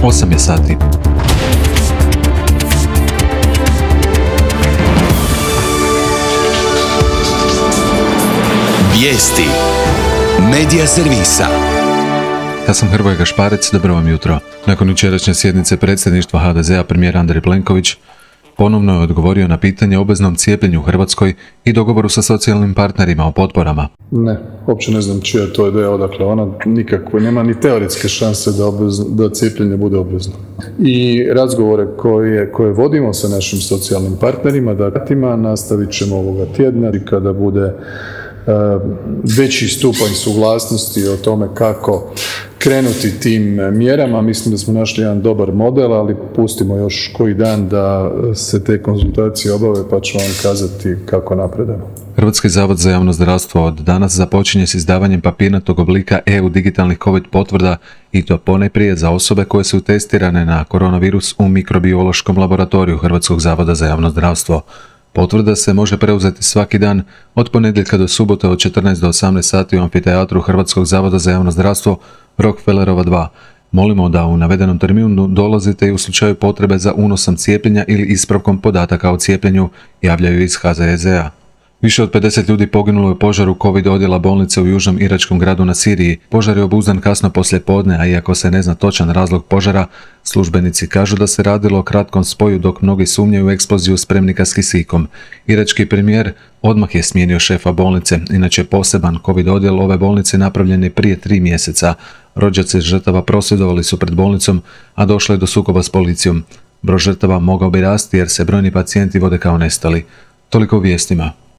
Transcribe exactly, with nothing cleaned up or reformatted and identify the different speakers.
Speaker 1: osam je sati.
Speaker 2: Vijesti Medija servisa.
Speaker 1: Ja sam Hrvoje Gašparec, dobro vam jutro. Nakon jučerašnje sjednice predsjedništva ha de zea premijer Andrej Plenković ponovno je odgovorio na pitanje o obveznom cijepljenju u Hrvatskoj i dogovoru sa socijalnim partnerima o potporama.
Speaker 3: Ne, uopće ne znam čija je to ideja, odakle ona nikakve, nema ni teoretske šanse da, obvezno, da cijepljenje bude obvezno. I razgovore koje, koje vodimo sa našim socijalnim partnerima, datima, nastavit ćemo ovoga tjedna i kada bude veći stupanj suglasnosti o tome kako krenuti tim mjerama. Mislim da smo našli jedan dobar model, ali pustimo još koji dan da se te konzultacije obave pa ću vam kazati kako napredujemo.
Speaker 1: Hrvatski zavod za javno zdravstvo od danas započinje s izdavanjem papirnatog oblika e u digitalnih COVID potvrda i to ponajprije za osobe koje su testirane na koronavirus u mikrobiološkom laboratoriju Hrvatskog zavoda za javno zdravstvo. Potvrda se može preuzeti svaki dan od ponedjeljka do subote od četrnaest do osamnaest sati u amfiteatru Hrvatskog zavoda za javno zdravstvo Rockefellerova dva. Molimo da u navedenom terminu dolazite i u slučaju potrebe za unosom cijepljenja ili ispravkom podataka o cijepljenju, javljaju iz ha ze ez a. Više od pedeset ljudi poginulo je u požaru COVID odjela bolnice u južnom iračkom gradu na Siriji. Požar je obuzdan kasno poslije podne, a iako se ne zna točan razlog požara, službenici kažu da se radilo o kratkom spoju dok mnogi sumnjaju u eksploziju spremnika s kisikom. Irački premijer odmah je smijenio šefa bolnice, inače poseban COVID odjel ove bolnice napravljen je prije tri mjeseca. Rođaci žrtava prosvjedovali su pred bolnicom, a došlo je do sukoba s policijom. Broj žrtava mogao bi rasti jer se brojni pacijenti vode kao nestali. Toliko u vijestima.